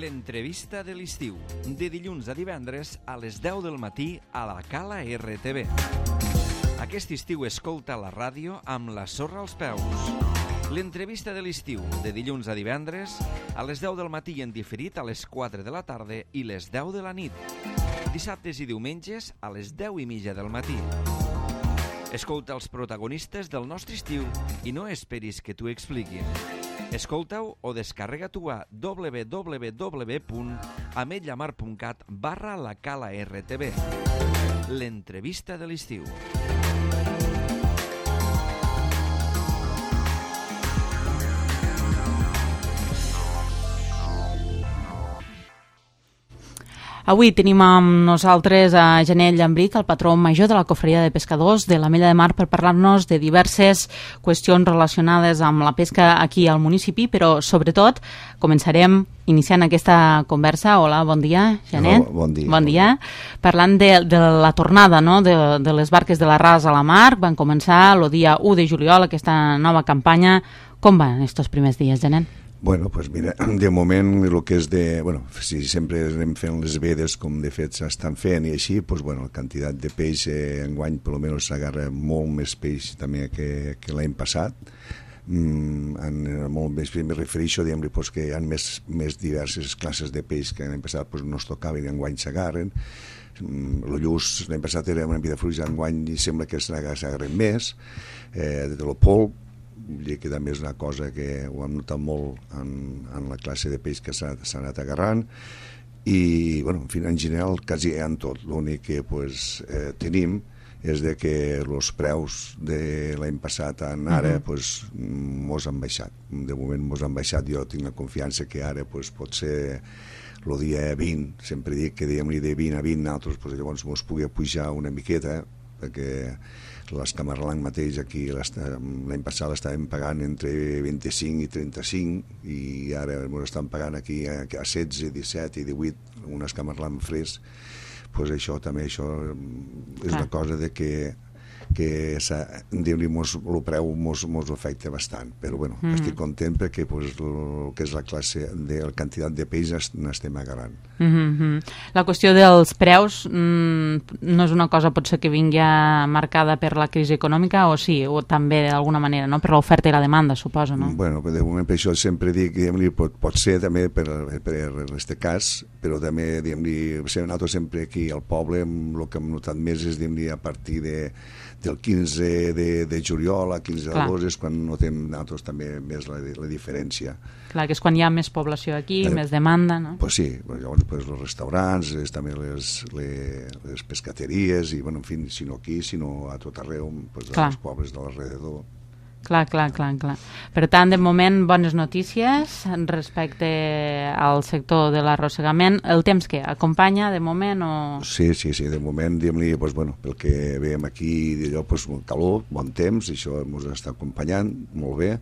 L'entrevista de l'estiu, de dilluns a divendres a les 10 del matí a la Cala RTV. Aquest estiu escolta la ràdio amb la sorra als peus. L'entrevista de l'estiu, de dilluns a divendres a les 10 del matí en diferit a les 4 de la tarda i les 10 de la nit. Dissabtes i diumenges a les 10:30 del matí. Escolta els protagonistes del nostre estiu i no esperis que t'ho expliquin. Escolta-ho o descarrega-t'ho a www.ametlllamar.cat/la Cala RTV. L'entrevista de l'estiu. Avui tenim amb nosaltres a Janel Llambric, el patró major de la Cofreria de Pescadors de l'Ametlla de Mar, per parlar-nos de diverses qüestions relacionades amb la pesca aquí al municipi, però sobretot començarem iniciant aquesta conversa. Hola, bon dia, Janel. Bon dia. Bon dia. Parlant de la tornada, no?, de les barques de l'Arràs a la mar. Van començar el dia 1 de juliol aquesta nova campanya. Com van estos primers dies, Janel? Bueno, pues mira, de moment el que és de... Bueno, si sempre anem fent les vedes com de fet s'estan fent i així, pues bueno, la quantitat de peix enguany per almenys s'agarra molt més peix també que l'any passat. Molt més, me refereixo, diguem-li, pues, que hi ha més diverses classes de peix que l'any passat pues, no es tocaven i enguany s'agarren. El lluç l'any passat era una mica fluix, enguany i sembla que s'agarren més. De lo polp, que també és una cosa que ho hem notat molt en la classe de peix que s'ha anat agarrant i, bueno, en fi, en general quasi en tot. L'únic que tenim és de que els preus de l'any passat ara mos han baixat. De moment mos han baixat. Jo tinc la confiança que ara pot ser el dia 20, sempre dic que diguem-li de 20 a 20 nosaltres, llavors mos pugui pujar una miqueta, perquè l'escamarlang mateix aquí l'any passat l'estàvem pagant entre 25 i 35 i ara ens estan pagant aquí a 16, 17 i 18 un escamarlang fresc. Pues això també és una cosa de que el preu mos afecta bastant, però bueno, estic content perquè el que és la classe de la quantitat de peix n'estem agarrant. La qüestió dels preus no és una cosa potser que vingui marcada per la crisi econòmica o sí, o també d'alguna manera, no? Per l'oferta i la demanda, suposo, no? Bueno, de moment per això sempre dic, pot ser també per aquest cas, però també, nosaltres sempre aquí al poble el que hem notat més és a partir del 15 de juliol a 15 d'agost és quan notem nosaltres també més la diferència. Clar, que és quan hi ha més població aquí, més demanda, no? Pues sí, llavors els restaurants, també les pescateries i, bueno, en fi, si no aquí, sinó a tot arreu, als pobles de l'alrededor. Clar. Per tant, de moment, bones notícies respecte al sector de l'arrossegament. El temps que acompanya, de moment, o...? Sí, de moment, diguem-li, pel que veiem aquí, calor, bon temps, això ens està acompanyant molt bé,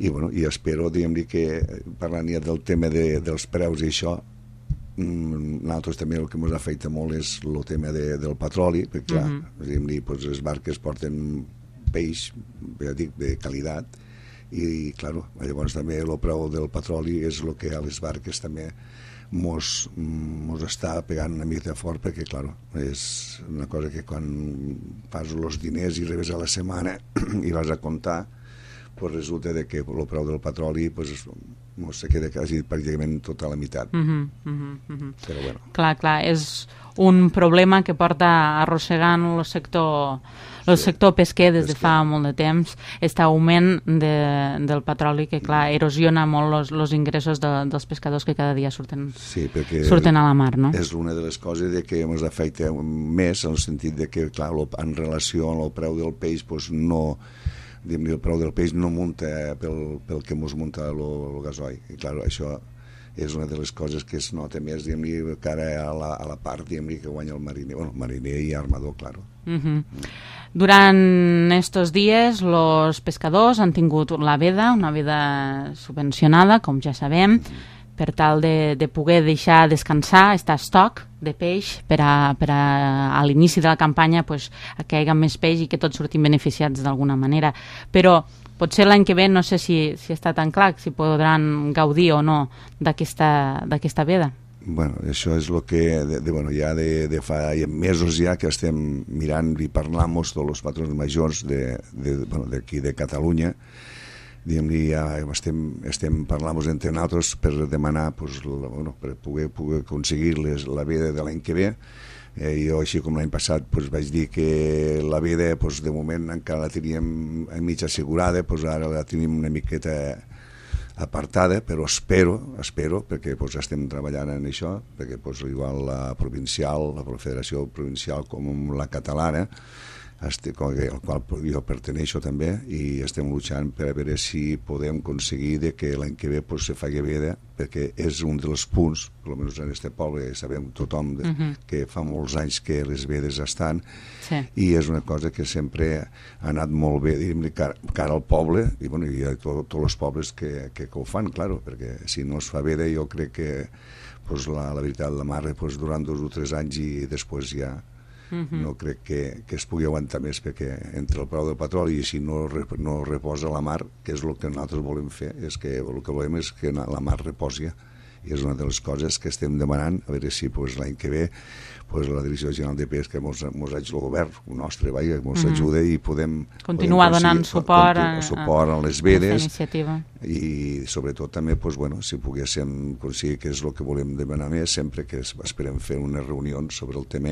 i espero, diguem-li, que parlant ja del tema dels preus i això, nosaltres també el que ens afecta molt és el tema del petroli, perquè, clar, diguem-li, les barques porten peix, ja dic, de qualitat i, clar, llavors també el preu del petroli és el que a les barques també mos està pegant una mica fort perquè, clar, és una cosa que quan fas els diners i rebes a la setmana i vas a comptar, resulta que el preu del petroli se queda quasi pràcticament tota la meitat. Però bueno. Clar, és un problema que porta arrossegant el sector pesquer des de fa molt de temps, aquest augment del petroli que, clar, erosiona molt els ingressos dels pescadors que cada dia surten a la mar, no? És una de les coses que ens afecta més, en el sentit que, clar, en relació amb el preu del peix, el preu del peix no munta pel que ens munta el gasoil. I, clar, això és una de les coses que es nota més, cara a la part que guanya el mariner. Bueno, mariner i armador, clar. Durant estos dies, els pescadors han tingut una veda subvencionada, com ja sabem, per tal de poder deixar descansar, estar estoc de peix per a l'inici de la campanya que hi hagi més peix i que tots sortim beneficiats d'alguna manera. Però potser l'any que ve no sé si està tan clar, si podran gaudir o no d'aquesta veda. Bueno, això és el que ja de fa mesos ja que estem mirant i parlant tots els patrons majors d'aquí de Catalunya. Ja estem parlant entre nosaltres per demanar per poder aconseguir la veda de l'any que ve. Jo, així com l'any passat, vaig dir que la veda de moment encara la teníem mig assegurada, ara la tenim una miqueta apartada, però espero, perquè estem treballant en això, perquè igual la provincial, la Federació Provincial com la catalana, al qual jo perteneixo també, i estem luchant per a veure si podem aconseguir que l'any que ve se faci veda, perquè és un dels punts, almenys en aquest poble, sabem tothom que fa molts anys que les vedes estan, i és una cosa que sempre ha anat molt bé cara al poble, i a tots els pobles que ho fan, claro, perquè si no es fa veda jo crec que la veritat la mar durant 2 o 3 anys i després ja no crec que es pugui aguantar més, perquè entre el preu del petroli i si no reposa la mar, que és el que nosaltres volem fer, és que el que volem és que la mar reposi, i és una de les coses que estem demanant, a veure si l'any que ve la Direcció General de Pesca ens el govern nostre ens ajuda i podem continuar donant suport a les vedes, i sobretot també si poguéssim aconseguir, que és el que volem demanar més, sempre que esperem fer unes reunions sobre el tema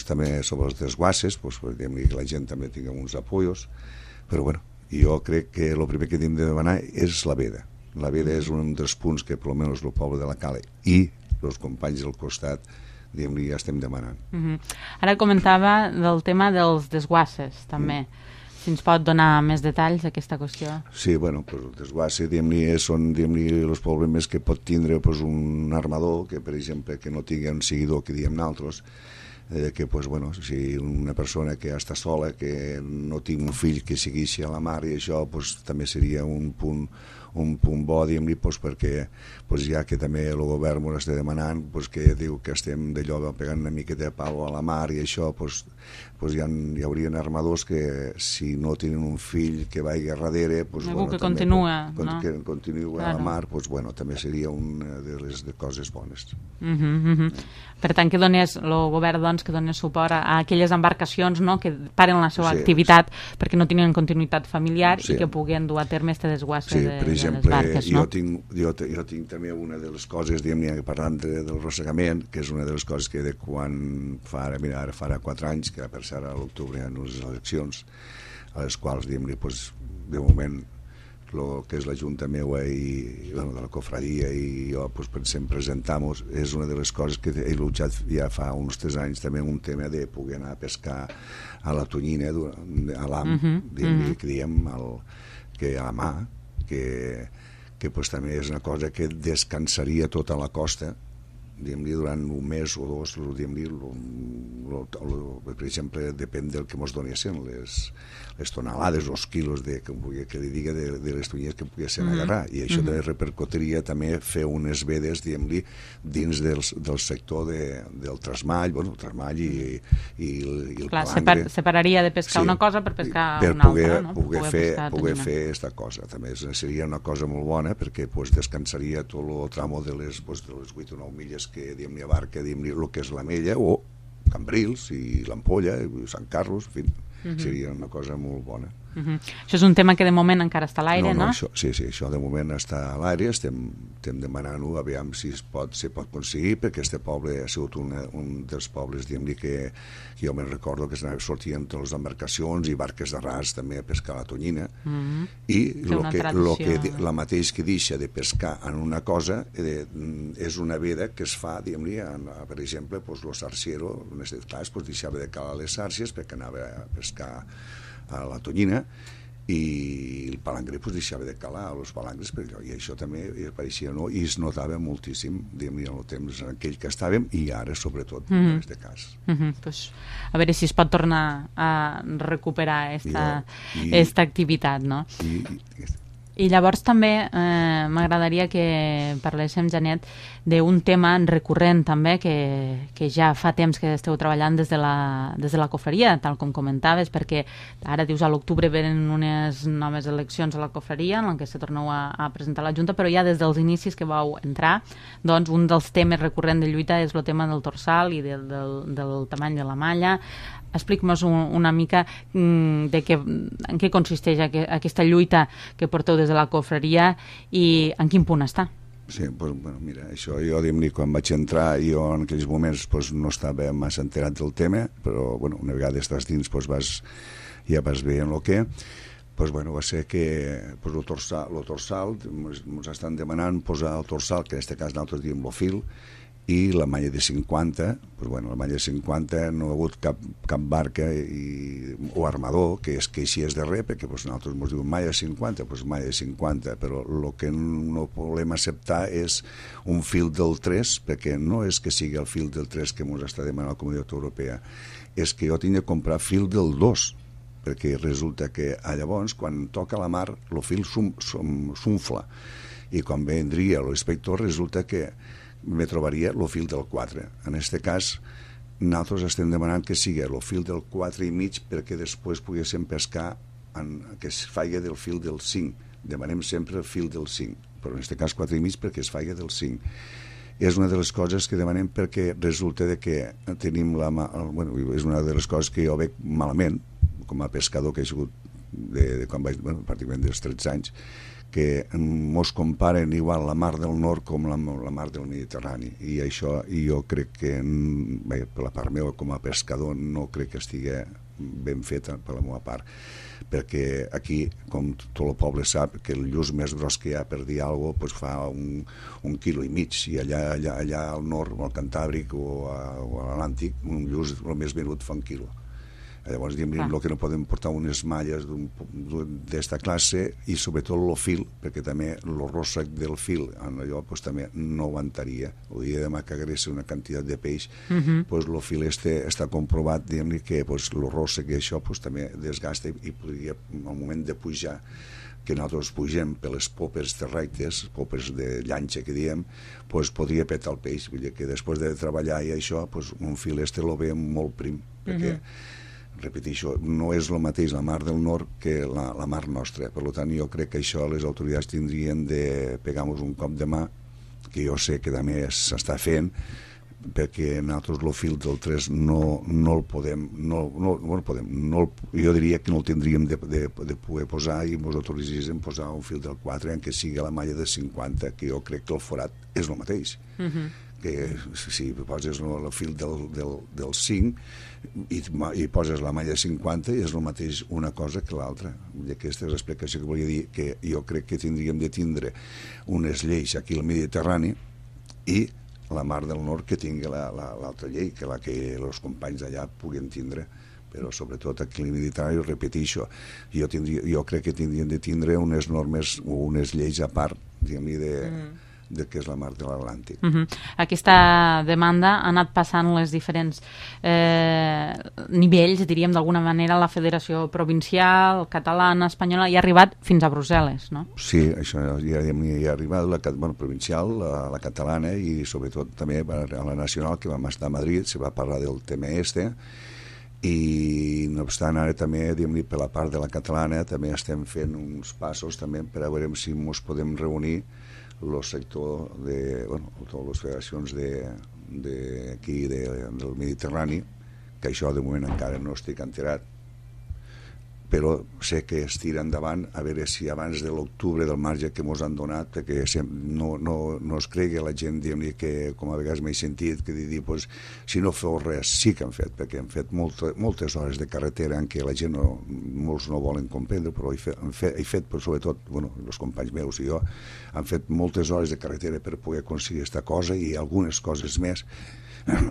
també sobre els desguasses, que la gent també tingui uns apoyos, però jo crec que el primer que hem de demanar és la veda. La veda és un dels punts que almenys el poble de la Cala i els companys del costat ja estem demanant. Ara comentava del tema dels desguasses també. Si ens pot donar més detalls d'aquesta qüestió? Sí, el desguasse són els problemes que pot tindre un armador que, per exemple, que no tingui un seguidor que diem nosaltres, que si una persona que està sola, que no tingui un fill que segueixi a la mar, i això també seria un punt bo, perquè ja que també el govern ens està demanant, que diu que estem d'allò pegant una miqueta de pal a la mar, i això hi haurien armadors que si no tenen un fill que vagi a darrere, que continua a la mar, també seria una de les coses bones. Per tant, que donés el govern que donés suport a aquelles embarcacions que paren la seva activitat perquè no tenen continuïtat familiar i que puguen dur a terme este desguasse de les barques. Jo tinc també una de les coses, parlant del rossegament, que és una de les coses que de quan farà 4 anys, que per ser a l'octubre hi ha unes eleccions, a les quals, de moment, el que és la Junta meua i de la cofradia i jo sempre presentam-nos, és una de les coses que he luchat ja fa uns 3 anys, també un tema de poder anar a pescar a la tonyina, a l'am, que diem que a la mà, que també és una cosa que descansaria tota la costa durant un mes o 2, per exemple, depèn del que ens donessin les tonelades, els quilos que li diga de les tonyines que poguessin agarrar, i això també repercutiria també fer unes vedes dins del sector del trasmall, el trasmall i el palangre. Separaria de pescar una cosa per pescar una altra, no? Per poder fer aquesta cosa. També seria una cosa molt bona, perquè descansaria tot el tramo de les 8 o 9 milles que abarca el que és la Mella o Cambrils i l'Ampolla i Sant Carlos, en fi, seria una cosa molt bona. Això és un tema que de moment encara està a l'aire, no? Sí, això de moment està a l'aire, estem demanant-ho, aviam si es pot aconseguir, perquè aquest poble ha sigut un dels pobles que jo me'n recordo que sortien totes les embarcacions i barques de ras també a pescar la tonyina, i la mateix que deixa de pescar en una cosa és una veda que es fa, per exemple, el sarciero, en aquest cas, deixava de calar les sàrcies perquè anava a pescar a la tonyina, i el palangre deixava de calar els palangres per allò, i això també apareixia i es notava moltíssim en el temps en aquell que estàvem i ara sobretot en aquest cas. A veure si es pot tornar a recuperar aquesta activitat, no? I llavors també m'agradaria que parléssim, Janet, d'un tema recurrent també que ja fa temps que esteu treballant des de la cofreria, tal com comentaves, perquè ara dius a l'octubre venen unes noves eleccions a la cofreria en què se torneu a presentar a la Junta, però ja des dels inicis que vau entrar, doncs un dels temes recurrents de lluita és el tema del torsal i del tamany de la malla. Explica-nos una mica en què consisteix aquesta lluita que porteu des de la cofreria i en quin punt està. Sí, doncs, bueno, mira, això jo, diguem-ne, quan vaig entrar, jo en aquells moments doncs, no estava massa enterat del tema, però bueno, una vegada estàs dins doncs, ja vas veient el que doncs, bueno, va ser que doncs, el torsal ens estan demanant posar el torsal, que en aquest cas nosaltres diem el fil, i la malla de 50, doncs, bueno, la malla de 50 no ha hagut cap barca o armador que així és de res, perquè doncs, nosaltres ens diuen malla de 50, doncs malla de 50, però el que no volem acceptar és un fil del 3, perquè no és que sigui el fil del 3 que ens està demanant la Comunitat Europea, és que jo tinc de comprar fil del 2, perquè resulta que llavors, quan toca la mar, el fil s'unfla, i quan vendria l'inspector resulta que me trobaria el fil del 4. En aquest cas, nosaltres estem demanant que sigui el fil del 4 i mig perquè després poguéssim pescar que es faci del fil del 5. Demanem sempre el fil del 5, però en aquest cas 4 i mig perquè es faci del 5. És una de les coses que demanem perquè resulta que tenim és una de les coses que jo veig malament, com a pescador que he sigut quan vaig, pràcticament dels 13 anys, que mos comparen igual la mar del nord com la mar del Mediterrani, i això jo crec que per la part meva com a pescador no crec que estigui ben feta per la meva part, perquè aquí, com tot el poble sap, que el lluç més gros que hi ha per dir alguna cosa fa un quilo i mig, i allà al nord, al Cantàbric o a l'Atlàntic, un lluç el més venut fa un quilo. Llavors, el que no podem portar unes malles d'esta classe, i sobretot el fil, perquè també el ròssec del fil allò també no aguantaria. El dia de demà que hagués una quantitat de peix, el fil està comprovat que el ròssec i això també desgasta, i podria, al moment de pujar, que nosaltres pugem per les popes terrestres, popes de llanxa que diem, podria petar el peix. Vull dir que després de treballar i això, un fil lo veiem molt prim, perquè repeteixo, no és el mateix la mar del nord que la mar nostra. Per tant, jo crec que això les autoritats tindrien de pegar-nos un cop de mà, que jo sé que també s'està fent, perquè nosaltres el fil del 3 no el podem, jo diria que no el tindríem de poder posar, i ens autoritzéssim posar un fil del 4 en què sigui la malla de 50, que jo crec que el forat és el mateix. Que si poses el fil del 5 i poses la malla 50 és el mateix una cosa que l'altra. Aquesta és l'explicació que volia dir, que jo crec que tindríem de tindre unes lleis aquí al Mediterrani i la mar del nord que tingui l'altra llei, que la que els companys d'allà puguin tindre, però sobretot aquí al Mediterrani, repeteixo, jo crec que tindrien de tindre unes normes o unes lleis a part, diguem-ne, de què és la mar de l'Atlàntic. Aquesta demanda ha anat passant les diferents nivells, diríem d'alguna manera, la Federació Provincial, Catalana, Espanyola, i ha arribat fins a Brussel·les, no? Sí, això ja ha arribat la provincial, la catalana, i sobretot també a la nacional, que vam estar a Madrid, se va parlar del tema i no obstant ara també, diguem-ne, per la part de la catalana també estem fent uns passos també per a veure si ens podem reunir el sector de, totes les federacions d'aquí del Mediterrani, que això de moment encara no estic enterat, però sé que es tira endavant a veure si abans de l'octubre del marge que ens han donat, perquè no es cregui la gent, diguem-ne, que com a vegades m'he sentit que dir, si no feu res, sí que han fet, perquè han fet moltes hores de carretera en què la gent molts no volen comprendre, però he fet sobretot, els companys meus i jo, han fet moltes hores de carretera per poder aconseguir aquesta cosa i algunes coses més,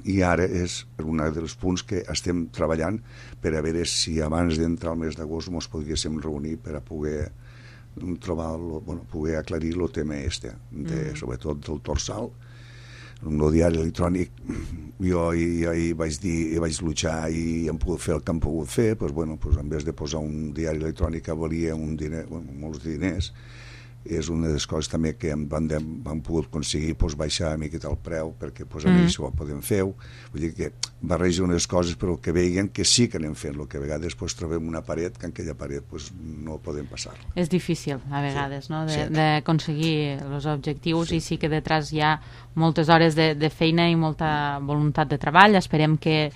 i ara és un dels punts que estem treballant per a veure si abans d'entrar al mes d'agost ens podríem reunir per a poder trobar, poder aclarir el tema sobretot del torsal, el diari electrònic, jo hi vaig luchar i hem pogut fer el que hem pogut fer, doncs, bueno, doncs, en vez de posar un diari electrònic que valia molts diners, és una de les coses també que hem pogut aconseguir baixar una miqueta el preu perquè a mi això ho podem fer. Vull dir que barreja unes coses però que veien que sí que anem fent, el que a vegades trobem una paret que en aquella paret no podem passar. És difícil a vegades, no?, d'aconseguir els objectius, i sí que detrás hi ha moltes hores de feina i molta voluntat de treball. Esperem que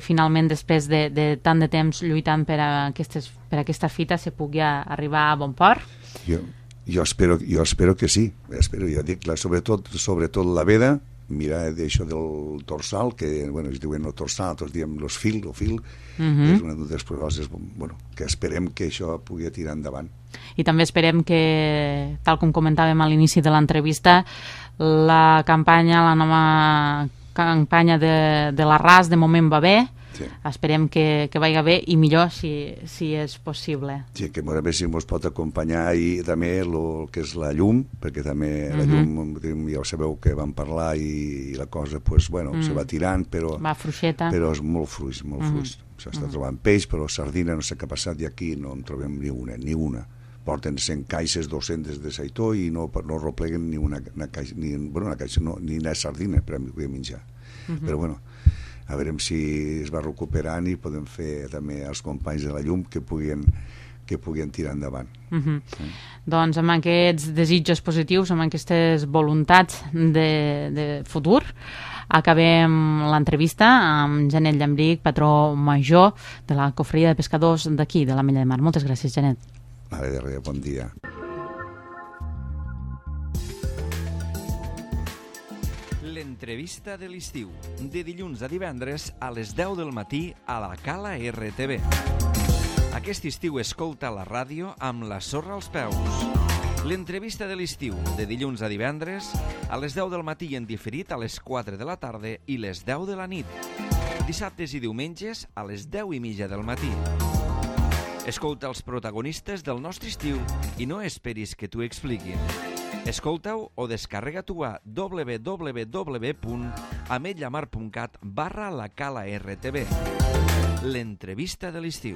finalment, després de tant de temps lluitant per aquesta fita, se pugui arribar a bon port. Jo espero que sí, ja dic, sobretot la veda, mira d'això del dorsal, que es diuen el dorsal, nosaltres diem el fil, és una de les coses que esperem que això pugui tirar endavant. I també esperem que, tal com comentàvem a l'inici de l'entrevista, la nova campanya de l'Arràs de moment va bé. Sí. Esperem que vagi bé i millor si és possible. Sí, que a veure si ens pot acompanyar i també el que és la llum, perquè també la llum, ja ho sabeu que vam parlar i la cosa, se va tirant, però va fluixeta. Però és molt fluix. S'està trobant peix, però sardina no sé què ha passat, i aquí no en trobem ni una. Porten 100 caixes, 200 de seitó i no repleguen ni una caixa, ni una sardina per a menjar. Però a veure si es va recuperant i podem fer també els companys de la llum que puguin tirar endavant. Doncs amb aquests desitjos positius, amb aquestes voluntats de futur, acabem l'entrevista amb Janet Llambrich, patró major de la Cofreria de Pescadors d'aquí, de l'Ametlla de Mar. Moltes gràcies, Janet. De res, bon dia. L'entrevista de l'estiu, de dilluns a divendres a les 10 del matí a la Cala RTV. Aquest estiu escolta la ràdio amb la sorra als peus. L'entrevista de l'estiu, de dilluns a divendres a les 10 del matí en diferit a les 4 de la tarda i les 10 de la nit. Dissabtes i diumenges a les 10:30 del matí. Escolta els protagonistes del nostre estiu i no esperis que t'ho expliquin. Escolta-ho o descarrega-t'ho a www.ametlamar.cat/la Cala RTV. L'entrevista de l'estiu.